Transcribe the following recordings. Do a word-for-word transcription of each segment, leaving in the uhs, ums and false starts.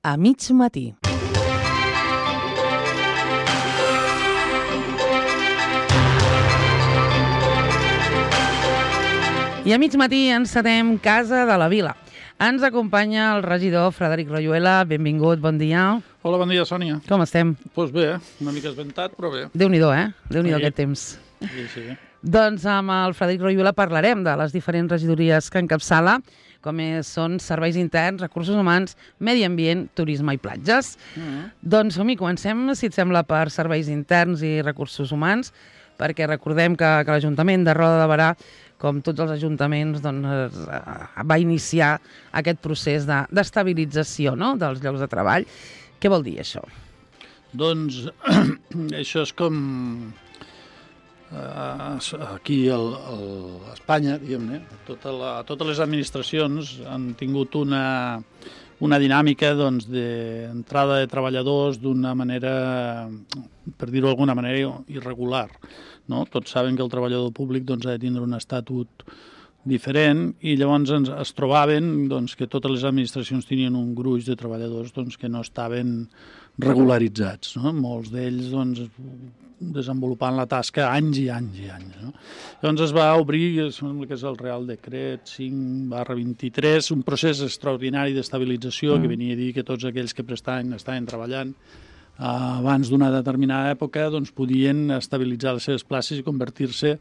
a mig matí. I a mig matí encetem Casa de la Vila. Ens acompanya el regidor Frederic Royuela. Benvingut, bon dia. Hola, bon dia, Sònia. Com estem? Doncs pues bé, una mica esventat, però bé. Déu-n'hi-do, eh? Déu-n'hi-do Sí. aquest temps. Sí, sí. Doncs amb el Frederic Royuela parlarem de les diferents regidories que encapçala, com és, són serveis interns, recursos humans, medi ambient, turisme i platges. Mm-hmm. Doncs som-hi, comencem, si et sembla, per serveis interns i recursos humans, perquè recordem que, que l'Ajuntament de Roda de Berà, com tots els ajuntaments, doncs, va iniciar aquest procés de, d'estabilització, no?, dels llocs de treball. Què vol dir això? Doncs això és com eh, aquí el, el, a Espanya, diguem-ne, tota la, totes les administracions han tingut una, una dinàmica doncs, d'entrada de treballadors d'una manera, per dir-ho d'alguna manera, irregular. No? Tots saben que el treballador públic doncs, ha de tindre un estatut diferent i llavors ens, es trobaven doncs, que totes les administracions tenien un gruix de treballadors doncs, que no estaven regularitzats. No? Molts d'ells doncs, desenvolupant la tasca anys i anys i anys. No? Llavors es va obrir, sembla que és el Real Decret cinc barra vint-i-tres, un procés extraordinari d'estabilització mm. que venia a dir que tots aquells que prestaven estaven treballant abans d'una determinada època doncs, podien estabilitzar les seves places i convertir-se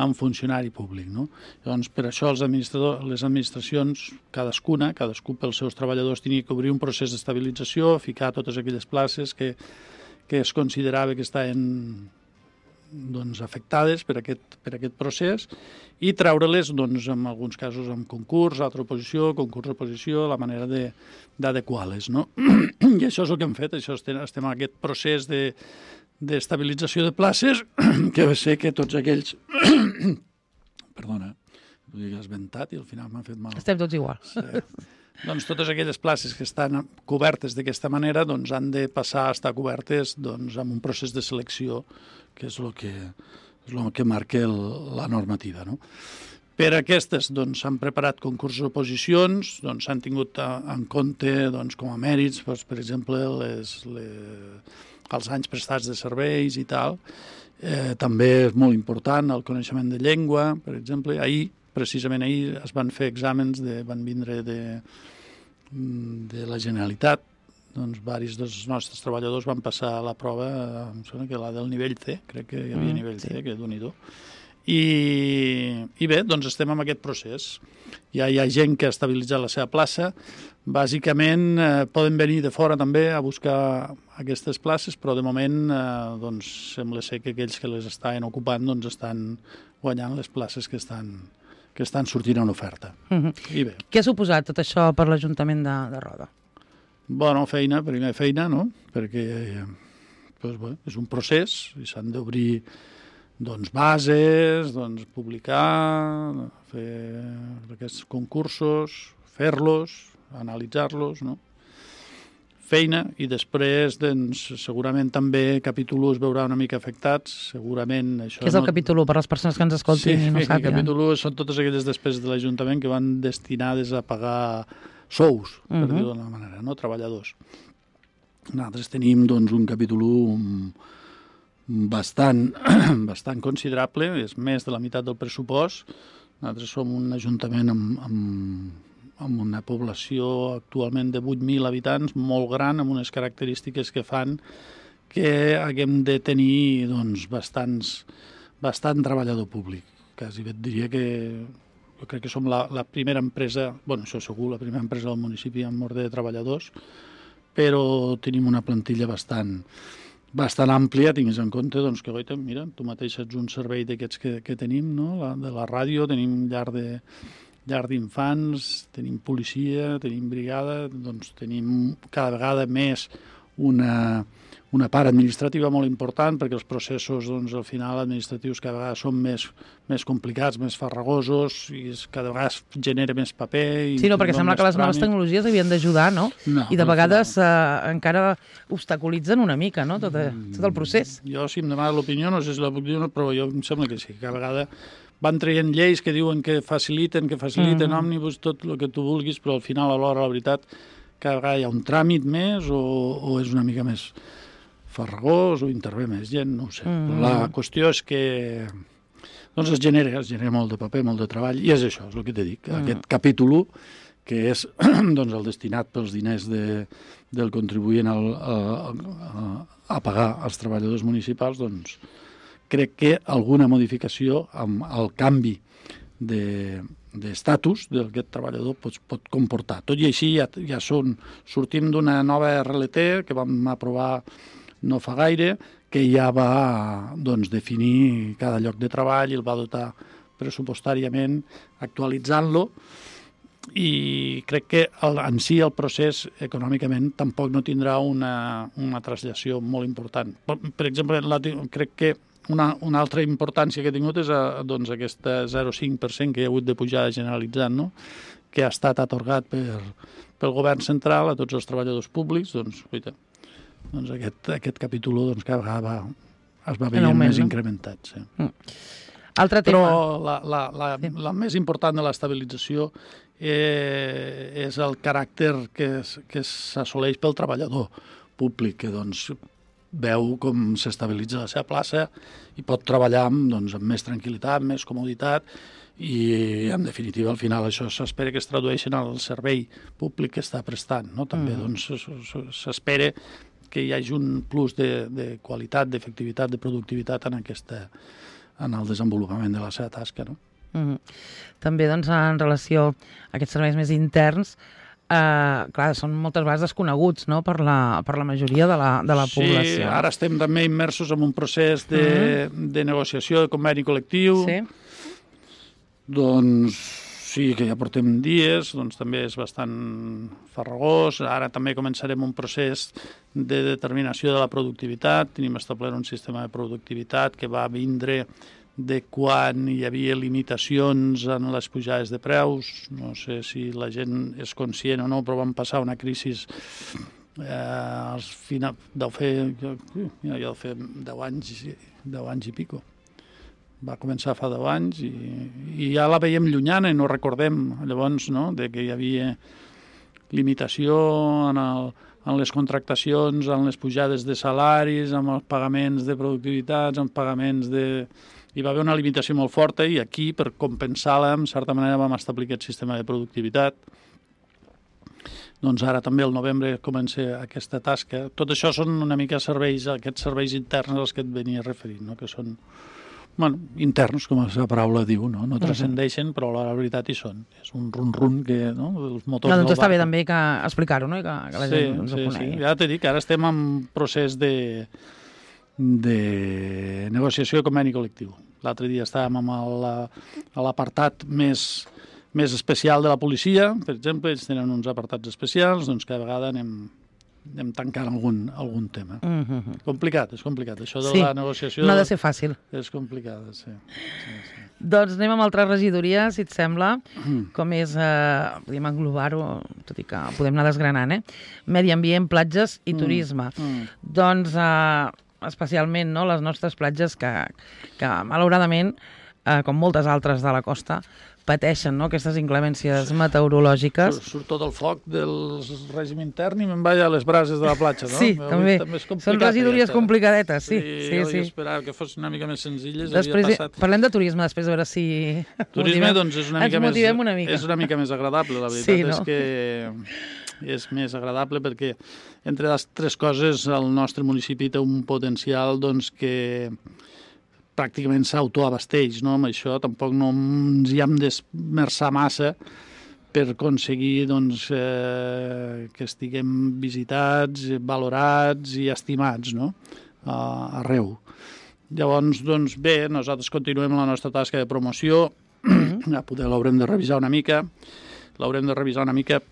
en funcionari públic. No? Llavors, per això els administradors, les administracions, cadascuna, cadascú pels seus treballadors, tenia que obrir un procés d'estabilització, ficar totes aquelles places que, que es considerava que estaven doncs, afectades per aquest, per aquest procés i treure-les, doncs, en alguns casos, amb concurs, altra oposició, concurs oposició, la manera de, d'adequar-les. No? I això és el que hem fet, això estem, estem en aquest procés de, d'estabilització de places, que va ser que tots aquells... Perdona, vull dir que has ventat i al final m'ha fet mal. Estem tots igual. Sí. Doncs totes aquelles places que estan cobertes d'aquesta manera doncs, han de passar a estar cobertes doncs, amb un procés de selecció, que és el que, és el que marca el, la normativa. No? Per aquestes doncs, s'han preparat concursos oposicions, doncs, s'han tingut en compte doncs, com a mèrits, doncs, per exemple, les, les, els anys prestats de serveis i tal. Eh, també és molt important el coneixement de llengua, per exemple. Ahir, precisament ahir, es van fer exàmens, de, van vindre de, de la Generalitat. Doncs varis dels nostres treballadors van passar la prova, em sembla que la del nivell C, crec que hi havia mm, nivell C, sí. Que Déu-n'hi-do. I, I bé, doncs estem en aquest procés. Ja hi ha gent que ha estabilitzat la seva plaça. Bàsicament eh, poden venir de fora també a buscar aquestes places, però de moment eh, doncs, sembla ser que aquells que les estaven ocupant doncs, estan guanyant les places que estan, que estan sortint en oferta. Mm-hmm. I bé. Què ha suposat tot això per l'Ajuntament de, de Roda? Bona feina, primer feina, no? Perquè doncs, bé, és un procés i s'han d'obrir doncs, bases, doncs, publicar, fer aquests concursos, fer-los, analitzar-los, no? Feina i després doncs, segurament també capítol u es veurà una mica afectats, segurament això... Què és el no... capítol u per les persones que ens escoltin sí, i no sàpiguen? Sí, el capítol u són totes aquelles despeses de l'Ajuntament que van destinades a pagar sous, per uh-huh. dir-ho d'una manera, no? Treballadors. Nosaltres tenim doncs, un capítol u bastant, bastant considerable, és més de la meitat del pressupost. Nosaltres som un ajuntament amb, amb, amb una població actualment de vuit mil habitants, molt gran, amb unes característiques que fan que haguem de tenir doncs, bastants, bastant treballador públic. Quasi bé et diria que jo crec que som la, la primera empresa, bueno, això segur, la primera empresa del municipi amb ordre de treballadors, però tenim una plantilla bastant, bastant àmplia, tinguis en compte doncs, que, goita, mira, tu mateix ets un servei d'aquests que, que tenim, no? La, de la ràdio, tenim llar de llar d'infants, tenim policia, tenim brigada, doncs tenim cada vegada més una... una part administrativa molt important, perquè els processos, doncs, al final, administratius cada vegada són més, més complicats, més farragosos, i cada vegada es genera més paper... I sí, no, perquè sembla que les noves tecnologies havien d'ajudar, no? no? I de vegades no. eh, encara obstaculitzen una mica, no?, tot, tot el procés. Jo, si em demana l'opinió, no sé si la puc dir, però jo em sembla que sí, cada vegada van traient lleis que diuen que faciliten, que faciliten mm. òmnibus, tot el que tu vulguis, però al final, a l'hora, la veritat, cada vegada hi ha un tràmit més o, o és una mica més farragós o intervé més gent, no ho sé. Mm. La qüestió és que doncs es genera, es genera molt de paper, molt de treball, i és això, és el que t'he dit, mm. aquest capítol u, que és doncs, el destinat pels diners de, del contribuent al, a, a, a pagar als treballadors municipals, doncs crec que alguna modificació amb el canvi d'estatus de, d'aquest treballador pot, pot comportar. Tot i així ja, ja són, sortim d'una nova R L T que vam aprovar no fa gaire, que ja va doncs, definir cada lloc de treball i el va dotar pressupostàriament actualitzant-lo, i crec que el, en si el procés econòmicament tampoc no tindrà una, una traslació molt important. Per, per exemple, la, crec que una, una altra importància que ha tingut és a, doncs, aquesta zero coma cinc per cent que hi ha hagut de pujada generalitzant, no? Que ha estat atorgat per, pel govern central a tots els treballadors públics, doncs, oita, doncs aquest, aquest capítol doncs, cada vegada va, es va veient augment, més no? incrementat. Sí. Mm. Altre tema. Però la, la, la, sí. la més important de l'estabilització eh, és el caràcter que, que s'assoleix pel treballador públic, que doncs, veu com s'estabilitza la seva plaça i pot treballar amb, doncs, amb més tranquil·litat, més comoditat, i en definitiva al final això s'espera que es tradueixi en el servei públic que està prestant, no? També mm. doncs, s'espera que hi hagi un plus de, de qualitat, d'efectivitat, de productivitat en, aquesta, en el desenvolupament de la seva tasca. No? Mm-hmm. També doncs, en relació a aquests serveis més interns, eh, clar, són moltes vegades desconeguts, no? per, la, per la majoria de la, de la població. Sí, ara estem també immersos en un procés de, mm-hmm. de negociació de conveni col·lectiu. Sí. Doncs sí, que ja portem dies, doncs també és bastant farragós. Ara també començarem un procés de determinació de la productivitat. Tenim establert un sistema de productivitat que va vindre de quan hi havia limitacions en les pujades de preus. No sé si la gent és conscient o no, però vam passar una crisi eh, als final, deu fer, jo, jo deu fer deu anys, deu anys i pico. Va començar fa deu anys i, i ja la veiem llunyana i no recordem llavors, no?, de que hi havia limitació en, el, en les contractacions, en les pujades de salaris, en els pagaments de productivitats, en pagaments de... Hi va haver una limitació molt forta i aquí, per compensar-la, en certa manera vam establir aquest sistema de productivitat. Doncs ara també al novembre comença aquesta tasca. Tot això són una mica serveis, aquests serveis interns als que et venia referint, no?, que són... Bueno, interns, com la paraula diu, no, no transcendeixen, però la veritat hi són. És un run-run que, no, els motors... No, doncs està bé també que explicar-ho, no?, i que, que la sí, gent ens sí, ho conegui. Sí, ja t'he dit que ara estem en procés de, de negociació de conveni col·lectiu. L'altre dia estàvem amb el, a l'apartat més, més especial de la policia, per exemple, ells tenen uns apartats especials, doncs cada vegada anem... anem tancant algun, algun tema. Mm-hmm. Complicat, és complicat. Això de sí, la negociació... no ha de ser fàcil. És complicat, sí. sí, sí. Doncs anem amb altra regidoria, si et sembla, mm. com és, eh, podem englobar-ho, tot i que podem anar desgranant, eh? Medi ambient, platges i mm. turisme. Mm. Doncs, eh, especialment, no?, les nostres platges que, que malauradament, eh, com moltes altres de la costa, pateixen, no?, aquestes inclemències meteorològiques. Surt, surt tot el foc del règim intern i me'n vaig a les brases de la platja, no? Sí, també. també són regidories ja complicadetes, sí. Sí, sí, jo sí. esperava que fos una mica més senzilles. Després, passat... Parlem de turisme, després a veure si... Turisme, doncs, és una mica, més, una mica. és una mica més agradable, la veritat. Sí, no? És que és més agradable perquè, entre les tres coses, el nostre municipi té un potencial, doncs, que... pràcticament s'autoabasteix, no? Amb això tampoc no ens hi hem d'esmerçar massa per aconseguir doncs, eh, que estiguem visitats, valorats i estimats, no?, uh, arreu. Llavors, doncs, bé, nosaltres continuem la nostra tasca de promoció, ja poder l'haurem de revisar una mica, l'haurem de revisar una mica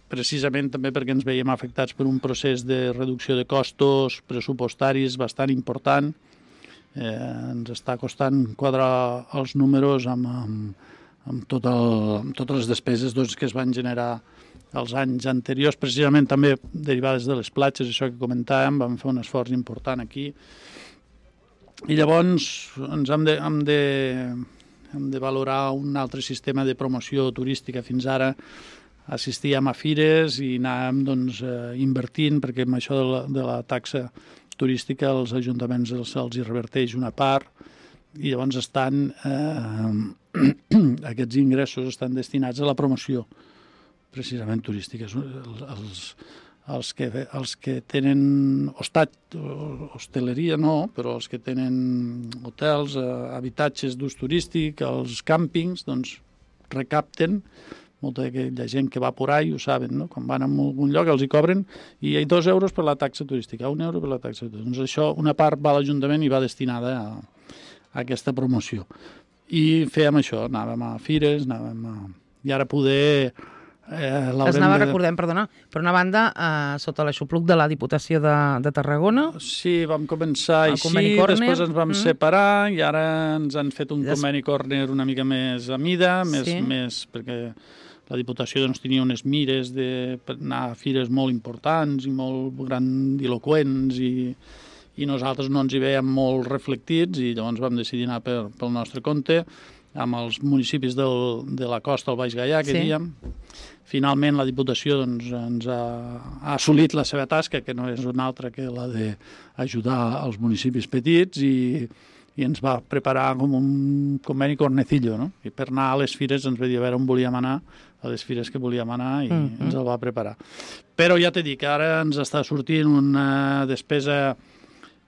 precisament també perquè ens veiem afectats per un procés de reducció de costos pressupostaris bastant important. Eh, ens està costant quadrar els números amb, amb, amb, tot el, amb totes les despeses doncs, que es van generar els anys anteriors, precisament també derivades de les platges, això que comentàvem, vam fer un esforç important aquí. I llavors ens hem de, hem de, hem de valorar un altre sistema de promoció turística. Fins ara assistíem a fires i anàvem doncs, eh, invertint, perquè amb això de la, de la taxa turística els ajuntaments els, els hi reverteix una part, i llavors estan, eh, aquests ingressos estan destinats a la promoció, precisament turística. Els, els, que, els que tenen hostat, hostaleria no, però els que tenen hotels, eh, habitatges d'ús turístic, els càmpings, doncs recapten. Molta d'aquella gent que va por ahí ho saben, no? Quan van a algun lloc els hi cobren i hi ha dos euros per la taxa turística, un euro per la taxa turística. Doncs això, una part va a l'Ajuntament i va destinada a, a aquesta promoció. I fèiem això, anàvem a fires, anàvem a... I ara poder... Eh, es anava, de... recordem, perdona, per una banda, eh, sota l'aixopluc de la Diputació de, de Tarragona. Sí, vam començar així, després ens vam mm. separar i ara ens han fet un Des... conveni córner una mica més a mida, més, sí. més perquè la Diputació doncs, tenia unes mires d'anar a fires molt importants i molt grandiloquents i, i nosaltres no ens hi veiem molt reflectits i llavors vam decidir anar per, pel nostre compte amb els municipis del, de la costa, el Baix Gaià, que sí. diem. Finalment, la Diputació doncs, ens ha, ha assolit la seva tasca, que no és una altra que la d'ajudar els municipis petits, i, i ens va preparar com un conveni cornecillo, no? I per anar a les fires ens va dir a veure on volíem anar, a les fires que volíem anar, i mm-hmm. ens el va preparar. Però ja t'he dit que ara ens està sortint una despesa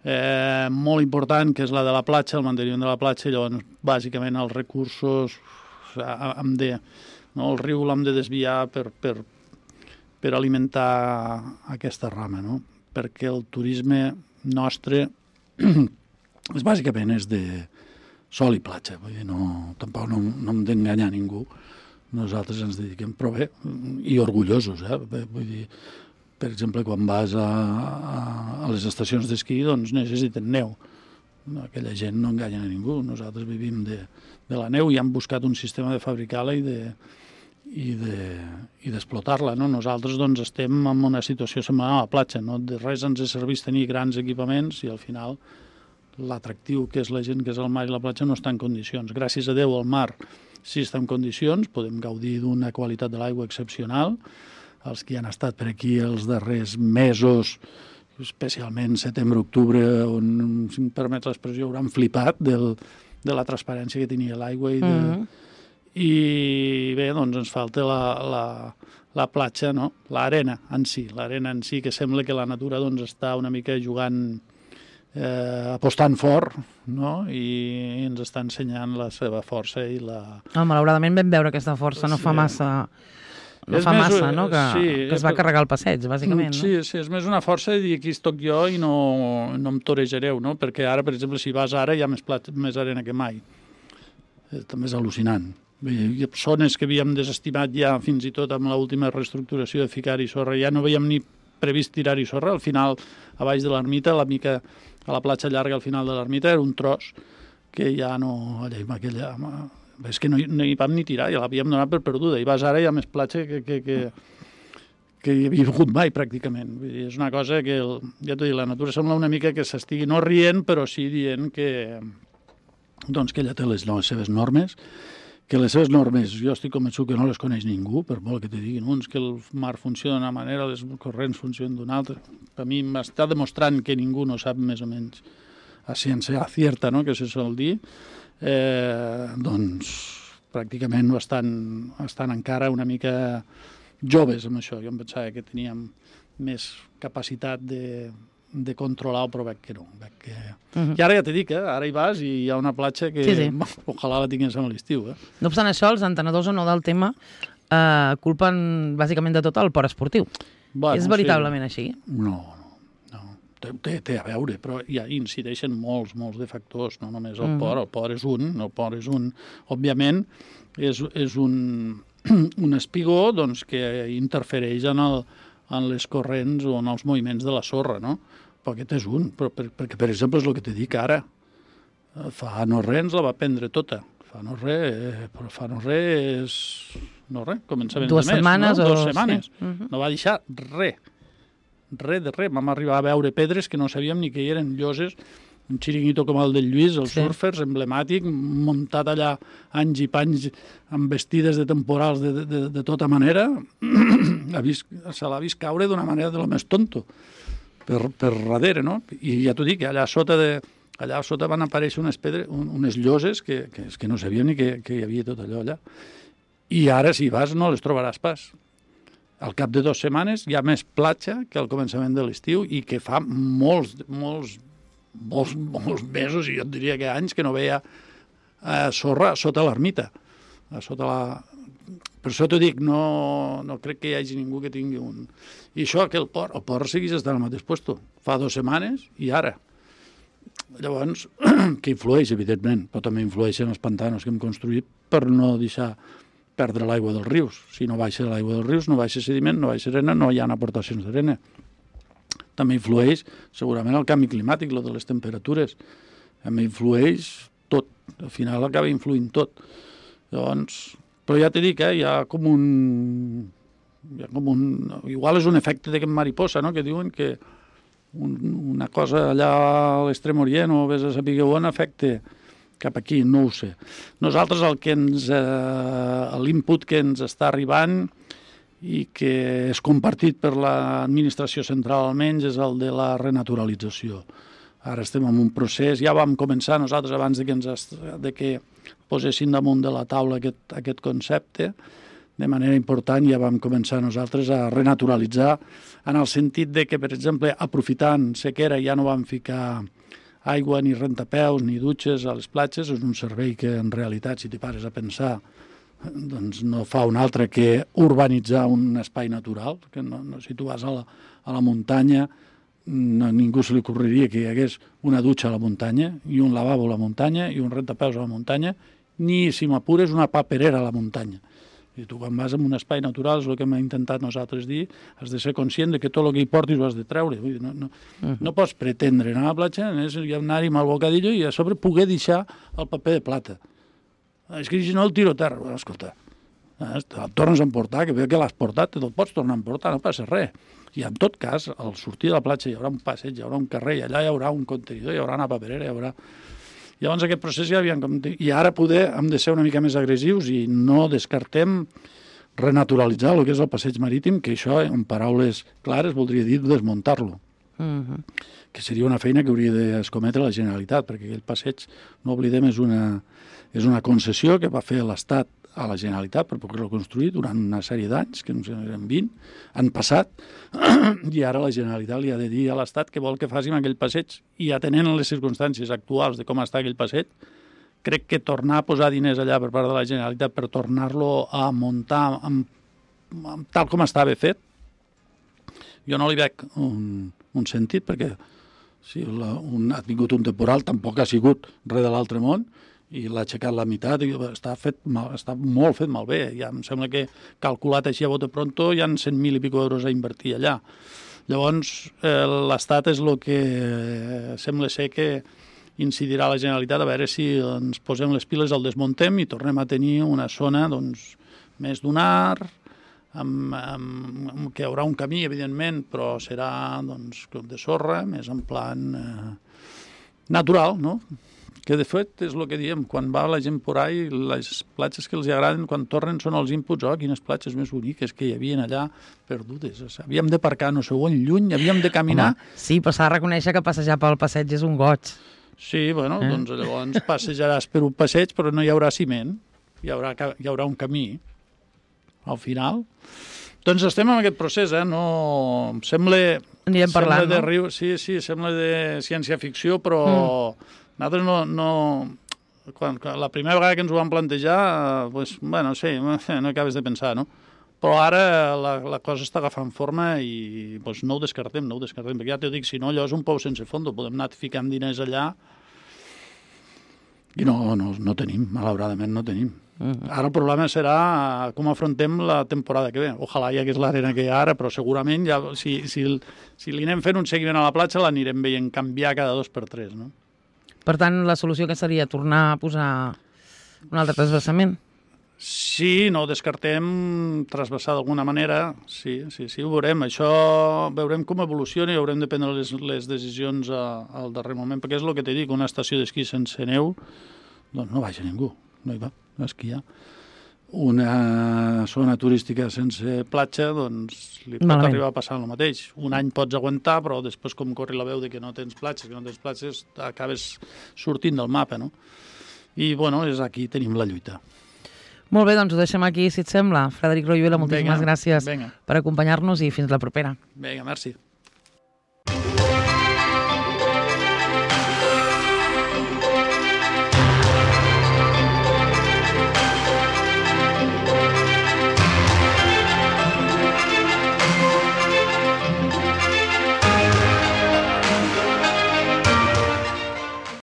eh, molt important, que és la de la platja, el manteniment de la platja, i llavors, bàsicament, els recursos hem de... No? El riu l'hem de desviar per, per, per alimentar aquesta rama, no? Perquè el turisme nostre és, bàsicament és de sol i platja. Vull dir, no, tampoc no, no hem d'enganyar ningú. Nosaltres ens dediquem, però bé, i orgullosos. Eh? Vull dir, per exemple, quan vas a, a, a les estacions d'esquí, doncs necessiten neu. Aquella gent no enganya a ningú. Nosaltres vivim de, de la neu i hem buscat un sistema de fabricar-la i de i d'explotar-la. No? Nosaltres doncs, estem en una situació semblant a la platja. No? De res ens serveix tenir grans equipaments i al final l'atractiu que és la gent que és al mar i la platja no està en condicions. Gràcies a Déu el mar sí està en condicions, podem gaudir d'una qualitat de l'aigua excepcional. Els que han estat per aquí els darrers mesos, especialment setembre-octubre, on, si em permets l'expressió, hauran flipat del, de la transparència que tenia l'aigua i de... Mm-hmm. I bé, doncs ens falta la, la, la platja, no? L'arena en si, l'arena en si, que sembla que la natura doncs, està una mica jugant, eh, apostant fort, no? I ens està ensenyant la seva força i la... Oh, malauradament vam veure aquesta força, no fa massa... No és fa més, massa, no?, que, sí, que es va carregar el passeig, bàsicament. Sí, no? sí, és més una força de dir aquí estoc jo i no, no em torejareu, no? Perquè ara, per exemple, si vas ara hi ha més, plat, més arena que mai. Eh, també és al·lucinant. Hi ha zones que havíem desestimat ja fins i tot amb l'última reestructuració de ficar-hi sorra. Ja no veiem ni previst tirar-hi sorra. Al final, a baix de l'ermita, la mica, a la platja llarga al final de l'ermita, era un tros que ja no... Allà, aquella, és que no, no hi vam ni tirar, ja l'havíem donat per perduda. I vas ara hi ha més platja que, que, que, que hi havia hagut mai, pràcticament. Vull dir, és una cosa que, el, ja t'ho dic, la natura sembla una mica que s'estigui no rient, però sí dient que, doncs, que ella té les, les seves normes, que les seves normes, jo estic convençut que no les coneix ningú, per molt que te diguin uns que el mar funciona d'una manera, les corrents funcionen d'una altra. Per mi m'està demostrant que ningú no sap més o menys a ciència cierta, no?, que se sol dir, eh, doncs pràcticament estan, estan encara una mica joves amb això. Jo em pensava que teníem més capacitat de... de controlar, però veig que no. Veig que... Uh-huh. I ara ja t'he dit, eh? Ara hi vas i hi ha una platja que sí, sí. Ojalà la tingués a l'estiu. Eh? No obstant això, els entenedors o no del tema eh, culpen bàsicament de tot el port esportiu. Bueno, és veritablement sí. Així? No, no. no. Té, té a veure, però ja incideixen molts, molts de factors, no només el uh-huh. port. El port és un, el port és un. Òbviament, és, és un, un espigó doncs, que interfereix en el en les corrents o en els moviments de la sorra, no? Però aquest és un, però per, perquè, per exemple, és el que te dic ara. Fa no res ens la va prendre tota. Fa no res, però fa no res és... No res, començament Dues de mes, setmanes no? o... Dues setmanes. Sí. Uh-huh. No va deixar res. Res de res. Vam arribar a veure pedres que no sabíem ni que hi eren lloses un xiringuito com el del Lluís, els Sí. surfers, emblemàtic, muntat allà anys i panys amb vestides de temporals de, de, de tota manera, ha vist, se l'ha vist caure d'una manera de lo més tonto, per, per darrere, no? I ja t'ho dic, allà sota, de, allà sota van aparèixer unes, pedres, un, unes lloses que, que, que no sabíem ni que, que hi havia tot allò allà. I ara, si vas, no les trobaràs pas. Al cap de dues setmanes hi ha més platja que al començament de l'estiu i que fa molts, molts, molts, molts mesos, i jo et diria que anys, que no veia eh, sorra sota l'ermita. Sota la... Per això t'ho dic, no, no crec que hi hagi ningú que tingui un... I això, que el port, el port segueix estant al mateix lloc. Fa dues setmanes i ara. Llavors, que influeix, evidentment, però també influeixen els pantanos que hem construït per no deixar perdre l'aigua dels rius. Si no baixa l'aigua dels rius, no baixa sediment, no baixa arena, no hi ha aportacions d'arena. També influeix, segurament, el canvi climàtic, lo de les temperatures. També influeix tot. Al final acaba influint tot. Llavors, però ja t'he dit, eh, hi ha com un... Hi ha com un... Igual és un efecte d'aquest mariposa, no?, que diuen que un, una cosa allà a l'extrem orient o vés a saber on afecta cap aquí, no ho sé. Nosaltres el que ens... Eh, l'input que ens està arribant i que és compartit per l'administració central almenys és el de la renaturalització. Ara estem en un procés, ja vam començar nosaltres abans de que, ens, de que posessin damunt de la taula aquest, aquest concepte, de manera important ja vam començar nosaltres a renaturalitzar en el sentit de que, per exemple, aprofitant sequera ja no vam ficar aigua, ni rentapeus, ni dutxes a les platges. És un servei que, en realitat, si t'hi pares a pensar, doncs no fa un altre que urbanitzar un espai natural. Que no, no, si tu vas a la, a la muntanya, no, ningú se li ocorreria que hi hagués una dutxa a la muntanya, i un lavabo a la muntanya, i un rentapeus a la muntanya, ni, si m'apures, una paperera a la muntanya. I tu, quan vas en un espai natural, és el que hem intentat nosaltres dir, has de ser conscient de que tot el que hi portis ho has de treure. Vull dir, no, no, uh-huh. no pots pretendre anar a la platja, anar-hi amb el bocadillo i a sobre poder deixar el paper de plata. És que si no el tiro a terra. Escolta, el tornes a emportar, que veu que l'has portat, te'l pots tornar a emportar, no passa res. I en tot cas, al sortir de la platja hi haurà un passeig, hi haurà un carrer, i allà hi haurà un contenidor, hi haurà una paperera, hi haurà... Llavors aquest procés ja havíem... I ara poder hem de ser una mica més agressius i no descartem renaturalitzar el que és el passeig marítim, que això, en paraules clares, voldria dir desmuntar-lo. Uh-huh. Que seria una feina que hauria d'escometre la Generalitat, perquè aquell passeig, no oblidem, és una, és una concessió que va fer l'Estat a la Generalitat per poder-lo construir durant una sèrie d'anys, que no sé, eren vint, han passat, i ara la Generalitat li ha de dir a l'Estat que vol que facin aquell passeig, i atenent les circumstàncies actuals de com està aquell passeig, crec que tornar a posar diners allà per part de la Generalitat per tornar-lo a muntar amb, amb, tal com estava fet, jo no li veig un, un sentit, perquè si la, un, ha tingut un temporal, tampoc ha sigut res de l'altre món, i l'ha aixecat la meitat, i està, fet mal, està molt fet malbé. Ja em sembla que, calculat així a bote pronto, hi ha cent mil i pico euros a invertir allà. Llavors, eh, l'Estat és el que eh, sembla ser que incidirà la Generalitat a veure si ens posem les piles, el desmuntem i tornem a tenir una zona doncs, més dunar, amb, amb, amb, que hi haurà un camí, evidentment, però serà doncs, de sorra, més en plan eh, natural, no? Que de fet és el que diem, quan va la gent por ahí, les platges que els agraden, quan tornen són els inputs, oh, quines platges més boniques que hi havia allà perdudes. O sigui, havíem de parcar no sé on, lluny, havíem de caminar... Home, sí, però s'ha de reconèixer que passejar pel passeig és un goig. Sí, bueno, eh? doncs llavors passejaràs per un passeig, però no hi haurà ciment, hi haurà, hi haurà un camí, al final. Doncs estem en aquest procés, eh? No... Sembla... Anirem parlant, sembla de no? riu... Sí, sí, sembla de ciència-ficció, però... Mm. Nosaltres no, no quan, la primera vegada que ens ho vam plantejar, pues, bueno, sí, no acabes de pensar, no? Però ara la, la cosa està agafant forma i pues, no ho descartem, no ho descartem, perquè ja t'ho dic, si no, allò és un pou sense fondo, podem anar ficant diners allà i no, no, no tenim, malauradament no tenim. Uh-huh. Ara el problema serà com afrontem la temporada que ve. Ojalà hi hagués l'arena que hi ha ara, però segurament ja, si, si, si li anem fent un seguiment a la platja l'anirem veient canviar cada dos per tres, no? Per tant, la solució que seria tornar a posar un altre transversament? Sí, no ho descartem trasbassar d'alguna manera, sí, sí, sí, ho veurem. Això veurem com evoluciona i haurem de prendre les, les decisions a, al darrer moment, perquè és el que t'he dit, una estació d'esquí sense neu, doncs no vaja ningú, no hi va a esquiar. Una zona turística sense platja, doncs li pot Malament. arribar a passar el mateix. Un any pots aguantar, però després com corri la veu de que no tens platges, que no tens platges, acabes sortint del mapa, no? I, bueno, és aquí tenim la lluita. Molt bé, doncs ho deixem aquí, si et sembla. Frederic Royuela, moltíssimes Vinga, gràcies vinga. per acompanyar-nos i fins la propera. Vinga, merci.